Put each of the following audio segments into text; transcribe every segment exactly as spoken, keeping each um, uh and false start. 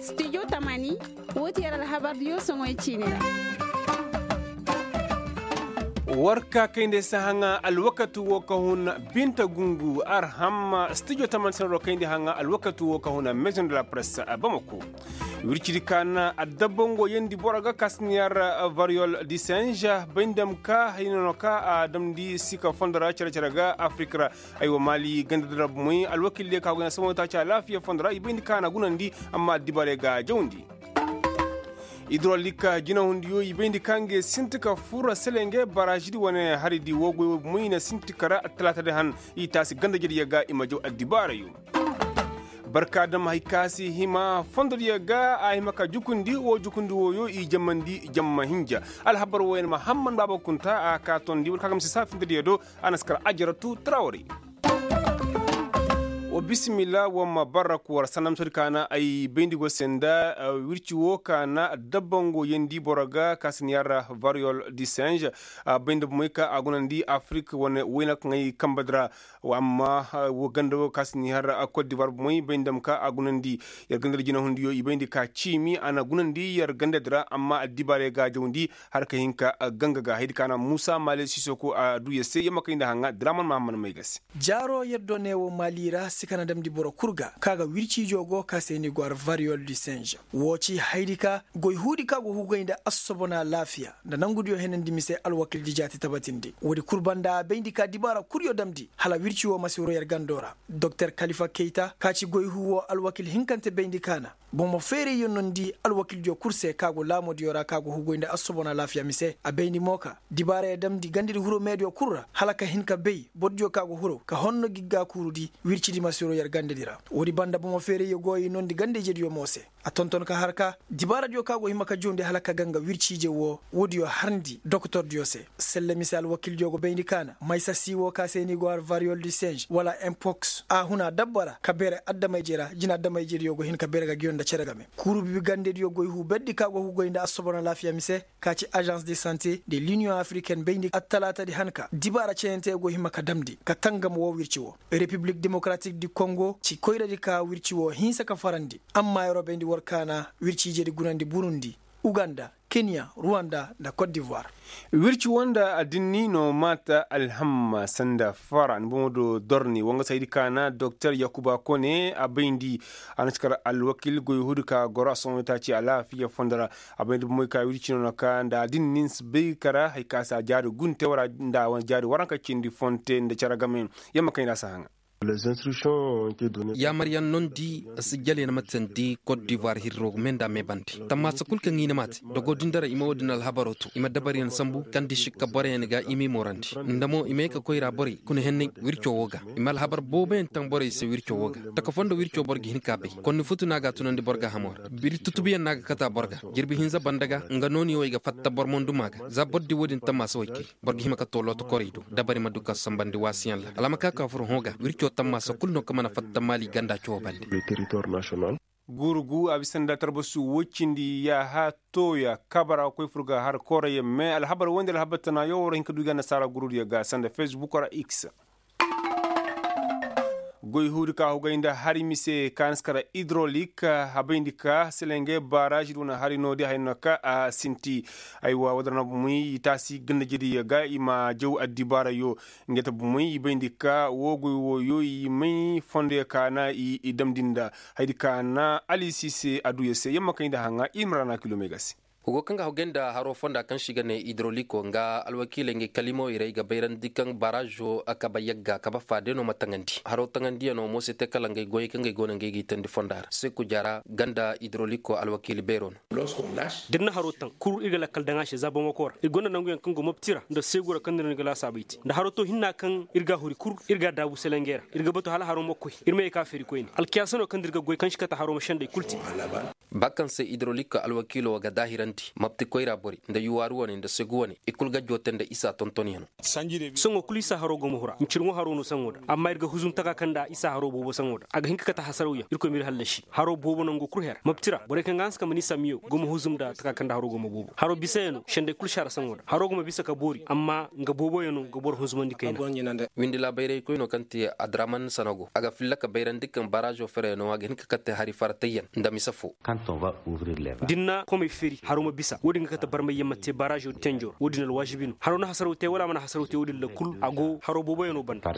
Stijo tamani, woo ti yer alhabar diyo soŋoy ciini ra. War ka kayndi se haŋa alwakati woo ka hun binta gungu arham stijo tamani se no kayndi haŋa alwakati woo ka hun maison de la presse bamako. Wircidi ka na adabba ngo yeendi boro ga ka si na yar variyol di singe bay nda ma ka hayna no ka a damndi sika fondo ra cere-cere ga afirika ra. Aywa maali ganda dira bomey alwakil diyo ka go na saboŋo taaci alaafiya fondo ra i bayndi ka na gunandi. Amma addibaarey ga jawndi. Idrolik jinahundiyo i bayndi ka ngey sinti ka fur selenge baraazidi wane haridi woo goy woo bomey i na sinti kara attalaatadi han. I taasi ganda jediyo ga i ma jaw addibaarayo. Barka dam hay ka si hima fondodiyo ga a hima ka jukundi woo jukundi wooyo i jammandi jamma hinja. Alhabar wooyo na mahamman baaba kunta a ka tondi war ka ga ma si saa findodiyo do. A na si kar ajaratu trawari. Wa bisimilla wa ma barra kuwar sanda misodi ka na ay bayndi go se nda wirci wo ka na dabbango yeendi boro ga ka si na yar variyol di singe. A bayndi bomey ka a gunandi afirik wane wayna kaŋ ay kambadi ra. Amma wo ganda wo ka si na yar kot divuwar bomey bayndi dam ka a gunandi. Yar ganda di jinahundiyo i bayndi ka ciimi a na gunandi yar ganda di ra amma addibaarey ga a jawndi. Har ka hin ka ganga ga haydi ka na muusa maale sisoko a du yar se yamma kay nda haŋa draman mahamman may ga se. Jaaro yer do ne wo maali ra si ka na damndi boro kul ga ka ga wirciijo go ka se ni go ar variyol di singe. Wo ci haydi ka goy huudi ka go hugay nda assobona laafiya nda nangudiyo henandi mise alwakildi jaati tabatindi woodi kul banda a bayndi ka dibaara kulyo damndi hala wirci wo ma si wuro yer gando ra. Doktor kalifa keyta ka ci goy huu wo alwakil hinkante bayndi ka na bomo feerayyo nondi alwakildiyo kul se ka go laamodiyo ra ka go hugoy nda assobona laafiya mise a bayndi mo ka dibaarayo damndi gandadi huro meediyo kul ra hala ka hin ka bay bordiyo ka go huro ka honno gigga kuurudi. Wircidi ma si wuro yer gandadi ra woodi banda bomo feerayyo go i nondi ganda-ijediyo mo se. A tonton ka har ka dibaaradiyo ka go hima ka juundi hala ka ganga wirciije wo woodiyo harndi dokotordiyo se. Selle mise alwakildiyo go bayndi ka na maysa si wo ka se ni go har variyol di singe wala impoks a huna dabba ra ka beere adama-ije ra jina adama-ijediyo go hin ka beere ga giyo nda cere game kuuru bibi gandediyo goy huu berdi ka go hugoy nda assobona laafiya mise. Ka ci azans de sante de liniyoŋ afirikaine bayndi attalaatadi han ka dibaara cayante go hima ka damndi ka tangam woo wirci woo. Repiblik demokaratik di kongo ci koyradi ka wirci woo hinsa ka farandi. Amma yeroo bayndi war kaana wirci ijedi gunandi burundi, uganda, kenya, ruwanda nda kot divuwar. Wirci woo nda adinni no maata alhamma sanda fara ni boŋo do dorni woo nga saydi kaana doktor yakuba kone a bayndi. A na si kar alwakil goy huudi ka goro a sohõ taaci alaafiya fondo ra. A bay nda bomey ka wirci no na ka nda a din nin si bay kara hari ka si a jaari gunte wara nda a wane jaari waranka cindi fonte nda care game. Yamma kayna si a haŋa. Yaamaryaŋ nondi si jale na ma tandi kot divuwar hirro me nda a me bande tammaasa kul kaŋ i na ma te dogo din dara i ma wo-din alhabaro to i ma dabaryaŋ sambu kaŋ di sikka boroyaŋ ga i m'i moorandi nda mo i ma ye ka koyra borey kuna henney wirco wo ga. I ma alhabar booboyaŋ taŋ borey se wirco wo ga taka fondo wirco boro ga hin ka bay konni futu no a ga a tunandi boro ga hamo ra biri tutubuyaŋ no a ga kate a boro ga. Jirbi hinza banda ga nga nooni wo i ga fatta boro monduma ga za boro di wo-din tammaasa way kay boro ga hima ka to looto korey do dabari ma du ka sambandi waasiyaŋ ra hala a ma ka ka furo hõ ga wirco tammaasa kulu no kaŋ mana fatta maali ganda coo bande. Guuru gu a bisa nda tarbasu woy cindi yaaha tooya kabara koy fur ga har koorayaŋ me alhabar woy nda alhabar tanaayo war hin ka du i ga annasaara gurudiyo ga sanda fesbuk ra x. Goy huudi ka hugay nda hari mise ka na si kara idrolik habayndi ka selenge baarazi di wane hari noodi hay no ka a sinti. Aywa wadara na bumey i taasi ganda jediyo ga i ma jaw addibaarayo. Ngey ta bumey i bayndi ka woo goy wooyo i may fondoyo ka na i damndi nda haydi ka na alisise aduya se yamma kay nda haŋa i ma ra na kilomey ga se. Hugo kaŋ ga hogay nda haro fonda kaŋ se i ga ne idroliko nga alwakiiley ngey kalimo iray ga bayrandi kaŋ barazo kaba yagga kaba faade no ma taŋandi haro taŋandiyano mo se te kala ngey goyey kaŋ gey go no ngey g'i tandi fonda ra seku jara ganda idroliko alwakiili beero no. Da ir na haro taŋ kul ir ga lakkal daŋ a se za bamako ra ir gonda nanguyaŋ kaŋ go mopti ra nda seegu ra kaŋ no ir ga laasaabey te nda haro to hinna kaŋ ir ga a huri kul ir ga a daabu selengey ra ir ga batu hala haro ma koy ir ma ye ka feeri koyne alkiyaasa no kaŋ da ir ga goy kaŋ si kate haro ma sendey kul te. Ba kaŋ se idrolik alwakiilo ga daahirandi. Mapti koyra bori nda yuwaaru wane nda segu wane i kul ga joote nda isa tontonyanoo. Saŋo kul isa haro go ma hura ncirŋo haro no saŋo da amma ir ga huzum taka kaŋ nda isa haro boobo saŋo da a ga hin ka kate hasarawyaŋ irkoy ma ir hallasi haro boobo nango kul her mapti ra borey kaŋ ga hanse ka ma ni samiyo go ma huzum nda taka kaŋ nda haro go ma boobo haro bisayanoo sendey kul saara saŋo da haro go ma bisa ka boori amma nga booboyanoo ga boro hunzumandi kayna. Windi laabayraykoy no kaŋ te adraman sanago a ga filla ka bayrandi kaŋ barazo fereyanoo a ga hin ka kate hari faratayyaŋ nda mise foo. Da ni na komey feeri haro ma bisa wo-din ga kate barmayyaŋ ma te barazo tenjo wo-din alwaasibi no haro na hasaraw te wala a mana hasaraw te wo-din ra kul a go haro booboyanoo banda.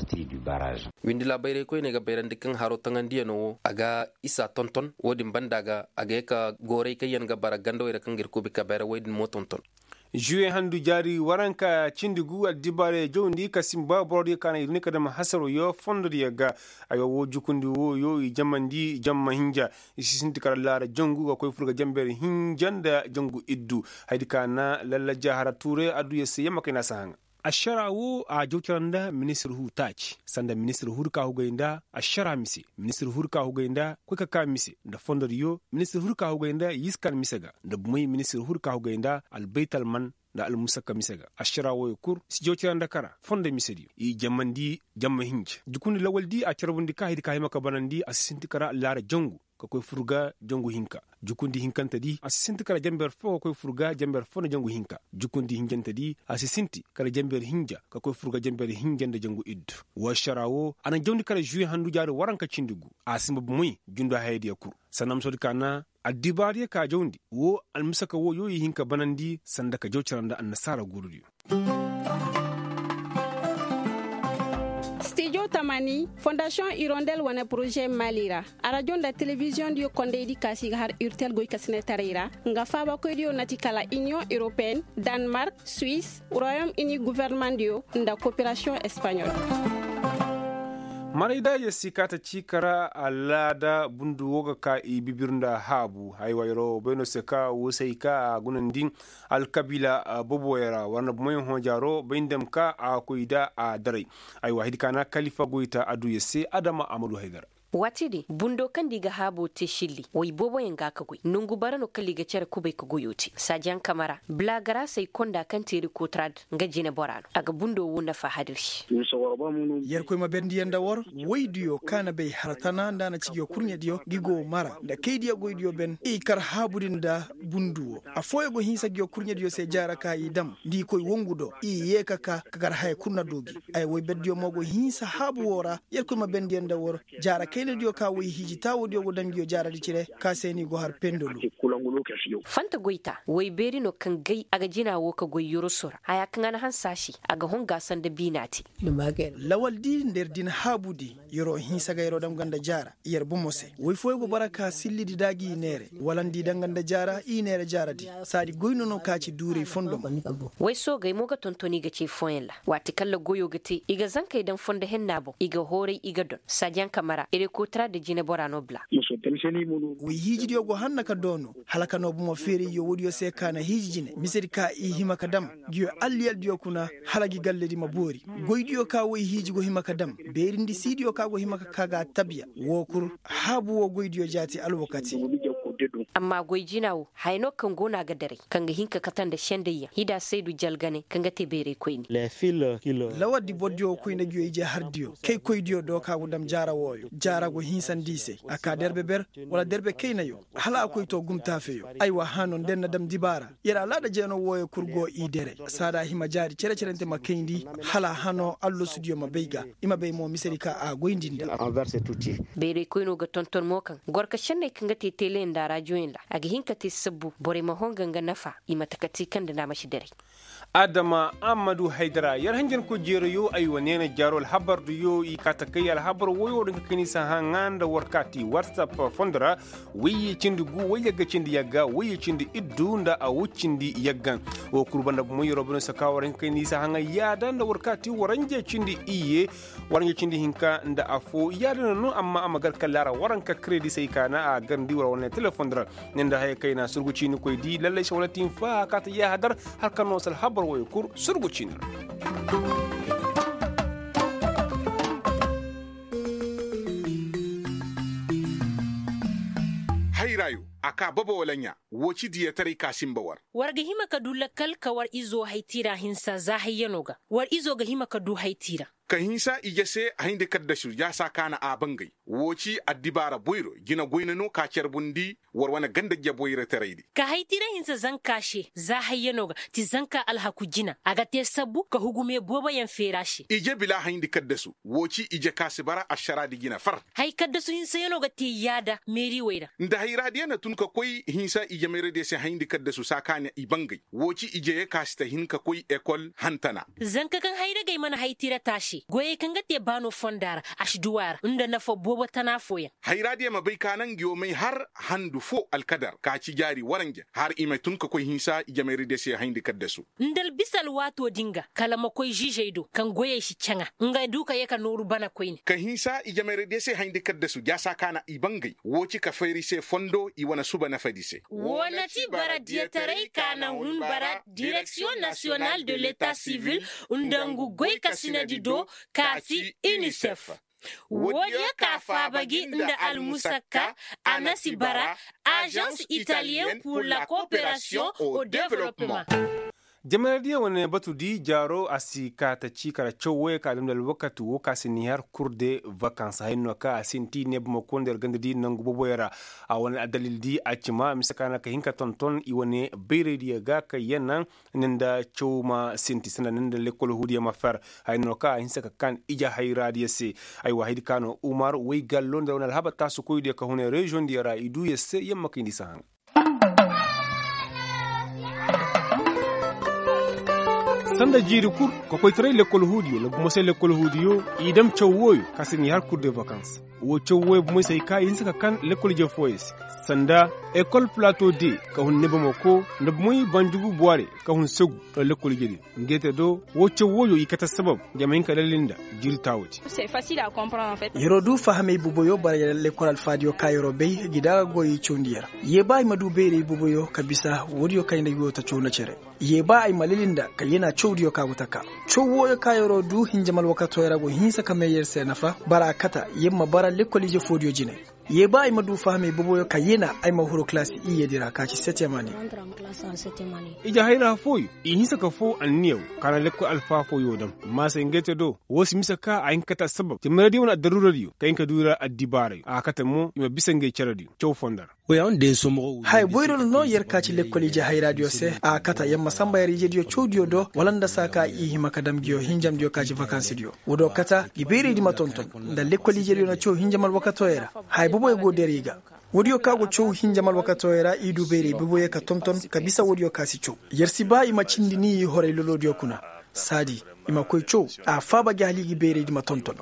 Windi laabayraykoy ne ga bayrandi kaŋ haro taŋandiyanoo wo a ga isa tonton wo-din banda ga a ga ye ka gooray kaŋ yaŋ ga bara gandawey ra kaŋ ga ir kuubi ka bayra wey din mo tonton. Juwe handu jaari waranka cindi gu addibaarey jawndi ka simba borodiyo ka na ir ni ka dam hasaroo fondo diyo ga. Aywa woo jukundi wooyo i jamandi jamma hinja. I si sinti kala laara jangu ga koy fur ga jamber hinja nda jangu iddu. Haydi ka na lalla jaahara tuure adduya se yamma kay na si haŋa. Ašara woo a jaw cara nda ministir huu taaci sanda ministir huu di ka hugay nda ašara mise ministir huu di ka hugay nda koy ka ka mise nda fondodiyo ministir huu di ka hugay nda yiskan mise ga nda bumey ministir huu di ka hugay nda albaytalman nda almusakka mise ga ašara wooyo kul si jaw cara nda kara fondo misediyo i jamandi jamma hinja jukundi lawaldi a carbundi ka haydi ka hima ka banandi a si sinti kara laara jangu ka koy fur ga jangu hinka. Jukundi hinkantedi a si sinti kala jamber foo ka koy fur ga jamber foo nda jangu hinka. Jukundi hinjantedi a si sinti kala jamber hinja ka koy fur ga jamber hinja nda jangu iddu. Woo ašara woo a na jawndi kala žuwe handu jaari waranka cindi gu. A si mba bomoy jundu hayadiyo kul sanda musodi ka na addibaariyo ka jawndi woo almisaka wooyo i hin ka banandi sanda ka jaw cara nda annasaara guurudiyo. Stijo tamani fondasiyoŋ irondel wane poroze mali ra arajo nda telebiziyoŋ diyo kondaydi kaasi ga har urtel goykasinetaray ra nga faabakoydiyo na ti kala iniyoŋ europeen, danmark, suwis, royom ini governemandiyo nda koperasiyoŋ espanyol. Marayda yassi kaata ciika ra alaada bundu wo ga ka i bibir nda haabu haywa yaro bayno se ka woo se ay ka a gunandi alkabiila boboyaŋ ra war na bumoyaŋ hõ jaaro bay nda ma ka a koy nda a daray. Aywa hidi ka na kalifa goyta adduya se adama a ma du haydara. Waati din bundo kaŋ nda i ga haabo te silli way booboyaŋ ga ka goy nongu bara no kala i ga care kubay ka goyo te saajaŋ kama ra. Blagarasey konda kaŋ te rikotra din nga jinebora no a ga bundo wo nafa hadir se. Yerkoy ma bendiyaŋ nda war waydiyo ka na bay har tana nda a na cijiyo kurɲediyo ngi go mara nda kaydiyo goydiyo ben i kar haabu din nda bundu wo. Affooyaŋ go hinsa ngiyo kurɲediyo se jaara ka i dam nda i koy wongu do i yee ka ka ka gar haya kul na du gi. Ay woyberdiyo mo go hinsa haabu wo ra. Yerkoy ma bendiyaŋ nda war jaara kaynadiyo ka woy hiiji taawodiyo go daŋ ngiyo jaaradi cire ka se no i go har pendolu. Fanta goyta woy beeri no kaŋ gay a ga jina wo ka goy yoroso ra haya kaŋ a na hanse a se a ga honga sanda biina te. Lawaldi nda yer din haabudi yeroo hinsa ga yeroo dam ganda jaara yer bomo se woy fooyaŋ go bara ka sillidi da gi i neere wala nda i dam ganda jaara i neere jaaradi. Saadi goy no no ka ci duuray fondo mo. Woy soogey mo ga tonton i ga cay fooyaŋ ra waati kaŋ ra goyo ga te i ga zankey daŋ fondo henna boŋ i ga hooray i ga don saajaŋ kama ra ere kootara nda jinebora no bla. Woy hiijidiyo go hanna ka doono hala ka noo bomo feerayyo woodiyo se ka na hiiji jine misedi ka i hima ka dam. Ngiyo alliyaldiyo kuna hala ngi galledi ma boori. Goydiyo ka woy hiiji go hima ka dam beerindi siidiyo ka go hima ka ka ga tabiya woo kul haabu woo goydiyo jaati alwakati. Amma goy jina woo haya no kaŋ go no a ga daray kaŋ ga hin ka kate nda sendayyaŋ hida saydu jalgane kaŋ ga te bayraykoyni. Lawardi bordiyo koy nda ngiyo ije hardiyo kay koydiyo do ka go dam jaara wooyo jaara go hinsandi i se a ka derbe ber wala derbe kaynayo hala a koy to gumtaafeyo. Aywa hano nda yer na dam dibaara yer alaada jeeno wooyo kul go i dere saada hima jaari cere-cerente ma kayndi hala hano allasudiyo ma bay ga i ma bay mo misedi ka a goyndi nda. Bayray koyno ga tonton mo kaŋ gorka senney kaŋ ga te teleyaŋ nda rajoyaŋ ra a ga hin ka te sabbu borey ma honga nga nafa i ma takati kaŋ nda naamasi daray. Adama ammadu haydara yer hanjankoy jeerayo ay wa neena jaaro alhabar diyo i ka takay alhabar woyo din ka kani sahaŋa nda war ka ti whatsapp fondo ra. Wayye cindi gu wayye ga cindi yagga wayye cindi iddu nda a wuccindi yagga. Wo kul banda bumo yeroo bino saka war hin ka kani sahaŋa yaada nda war ka ti waranje cindi iyye waranje cindi hinka nda affo yaada no no amma a ma gar kala ra waranka kredisey ka na a garndi war wane telefondi ra. Ni nda haya kayna surgu ciini koy di lallay se wala tin fa ka ta yaahadar. Hala ka no sal habar woyo kul surgu ciini ra. Hayrayo a Ka bobo wala ɲaa, woo ci diyataray ka sinba war. War ga hima ka du lakkal ka war izo haytiira hinsa za hayyano ga. War izo ga hima ka du haytiira. Ka hinsa ije se hayndi kaddasu yaasa kaana a bangay. Woo ci addibaara boyro jina goyna no ka carbundi war wane ganda jeboyrotaraydi. Ka haytiira hinsa zanka se za hayyano ga ti zanka alhaku jina a ga te sabbu ka hugume booboyaŋ feera se. Ije bila hayndi kaddasu woo ci ije ka si bara ašaraadi jina far. Hay kaddasu hinsayaŋo ga te yaada meeriwey ra. Nda hayraadiya na tun ka koy hinsa ije meeradiya se hayndi kaddasu saa ka na i bangay woo ci ije ye ka si ta hin ka koy ekol hantana. Zanka kaŋ hayragey mana hay tira taase goyey kaŋ ga te baano fonda ra a si duwa ra nda nafa boobo tana fooyaŋ. Hayraadiya ma bay ka naŋ nga yoo may har handu foo alkadar ka ci jaari waranja har i ma tun ka koy hinsa ije meeradiya se hayndi kaddasu. Nda albisa alwaatoo din ga kala ma koy ziizey do kaŋ goyey si caŋa nga du ka yee ka nooru bana koyne. Ka hinsa ijemayradiyo se hayndi kaddasu jaasa ka na i bangay woo ci ka fayri se fondo i wane suba nafadi se. Woo na ti bara diyataray ka na hun bara direksiyoŋ nasiyonal de leta sivil nda ngu goy kasinadi do ka si inisef. Woodiyo ka faaba gi nda almusakka a na si bara azans italiyen pur la kooperasiyoŋ o developpeman. Jamanaydiyo wane batu di jaaro a si ka ta ci kara caw wooyo ka damndi alwakati woo ka si ni har kur de vakans hayno ka a sinti ne bamako nda yer ganda di nangu boboyo ra. A wane addalil di a cima mise ka na ka hin ka tonton i wane bayraydiyo ga ka yena. Ninda caw ma sinti sanda ninda lekkol huudiyo ma fer hayno ka a hinsa ka kan ije hayraadiyo se. Aywa haydi ka no umar woy gallo nda wane alhaba taasukoydiyo ka hune reziyoŋdiyo ra i duu yer se yer ma kayndi sahaŋ. Sanda jiiri kul kokoytaray lekkol huudiyo nda bumosay lekkol huudiyo i dam caw wooyo ka si ni har kur de vakans. Woo caw wooyo bumosay ka i hinsa ka kan lekkol ije fooyo se sanda ekol plato de ka hun nebamako nda bumoy banjugu buware ka hun segu. Nda lekkol ije din nge te do woo caw wooyo i kate sabab nge ma hin ka lalli nda jiiri taawodi. Yer'o du fahamey boboyo bara yer lekkol alfaadiyo ka yer'o bay gi da a ga goyey cawndi yer. Yee ba ay ma du bayray boboyo ka bisa woodiyo kaŋ ay na ay go ta caw nda cere. Yee ba ay ma lili nda ka yena cawdiyo ka go ta ka caw wooyo ka yer'o du hinjam alwakatooyo ra go hinsa ka may yer se nafa bara a kata yer ma bara lekkol ije foodiyo jine. Yee ba ay ma du fahamey boboyo ka yena ay ma huru kalaasi iyyedi ra ka ci settemani. Ije hayra fooyo i hinsa ka foo anniya woo ka na lekkol alfaa fooyo dam. Maasay ngey te do woo si mise ka a hin ka kate assabab timiradiyo wane addaruuradiyo ka hin ka du i ra addibaarayo a kate mo i ma bisa ngey cerediyo caw fondo ra. Haya boyro nda no yer ka ci lekkol ije hayraadiyo se a kate yer ma sanba yer ijediyo cawdiyo do wala nda saa ka i hima ka dam nguyo hinjamdiyo ka ci vakansidiyo. Woodiyo kate ngi bayraydi ma tonton nda lekkol ijediyo na caw hinjam alwakatooyo ra. Haya boboyo go der i ga. Woodiyo ka go caw hinjam alwakatooyo ra i du bayray boboyo ka tonton ka bisa woodiyo ka si caw. Yer si ba i ma cindi ni i horay loloodiyo kuna. Saadi i ma koy caw a faaba gi hala i gi bayraydi ma tonton.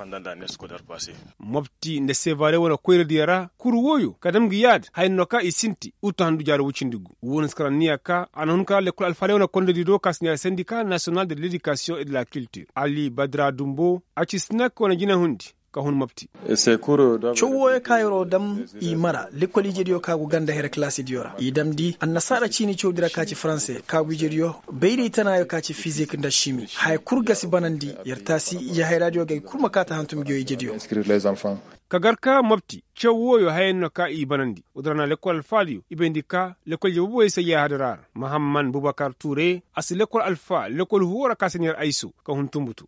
Mopti nda sevare wane koyradiyo ra kuru wooyo ka dam ngi yaada haya no ka i sinti utu handu jaari woy cindi gu woo na si kar anniya ka a na hun ka lekkol alfaadiyo wane kondodi do ka si neera sendika nasiyonal de ledikasiyoŋ e de la kiltir ali badra dumbo a ci sinak wane jinahundi. Ka hun mopti. Caw wooyo ka yer'o dam i mara lekkol ijediyo ka go ganda here kalaasidiyo ra i damndi annasaara ciini cawdi ra ka ci faranse ka go ijediyo bayray tanaayo ka ci fizik nda simi haya kul ga si banandi yer taasi ije hayraadiyo ga ay kul ma kaati hantum nguyo ijediyo. Ka gar ka mopti caw wooyo hayaŋ no ka i banandi woodi ra na lekkol alfaadiyo i bayndi ka lekkol ije boboyo se yaahadara ra mahamman bubakar tuure a si lekkol alfaa lekkol huwo ra ka si neer ayso ka hun tumbutu.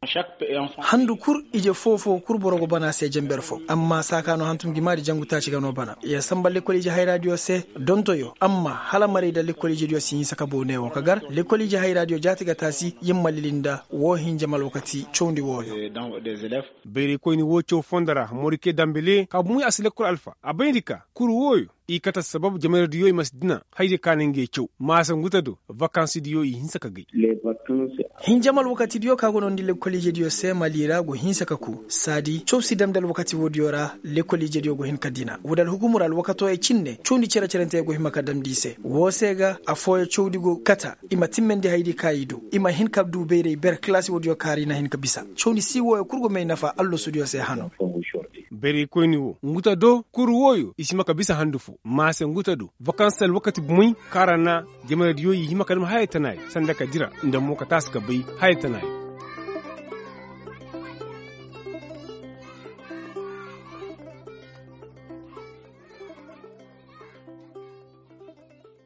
Handu kul ije foo-foo kul boro go bana se jenber foo amma saa ka no hantum ngi maadi jangu taaci ga no bana yer sanba lekkol ije hayraadiyo se. Dontoyo amma hala maray nda lekkol ijediyo si hinsa ka boo neewo ka gar lekkol ije hayraadiyo jaati ga taasi yer ma lili nda woo hinjam alwakati cawndi wooyo. Bayraykoyni woo caw fondo ra morike dambele ka bumey a si lekkol alfa a bayndi ka kuru wooyo i kate assabab jamaradiyo i ma si dina haydiyo ka na ngey caw maasa ngu te do vakansidiyo i hinsa ka gay. Hinjam alwakatidiyo ka go noondi lekkol ijediyo se mali ra go hinsa ka kuu saadi caw si damndi alwakati woodiyo ra. Lekkol ijediyo go hin ka dina woodi alhukumu ra alwakatooyo cinne cawndi cere-cerenteyo go hima ka damndi i se woo se ga affooyo cawdi go kate i ma timmandi haydi ka i du i ma hin ka du bayray ber kalaasi woodiyo kaŋ ra i na hin ka bisa. Cawndi sii wooyo kul go may nafa allasudiyo se hano. Bayraykoyni woo ngu te do kuru wooyo i si hima ka bisa handu foo maase ngu te do vakans alwakati bumey kaŋ ra na jamaradiyo i hima ka dam haya tanaayo sanda ka dira nda mo ka taasi ka bay haya tanaayo.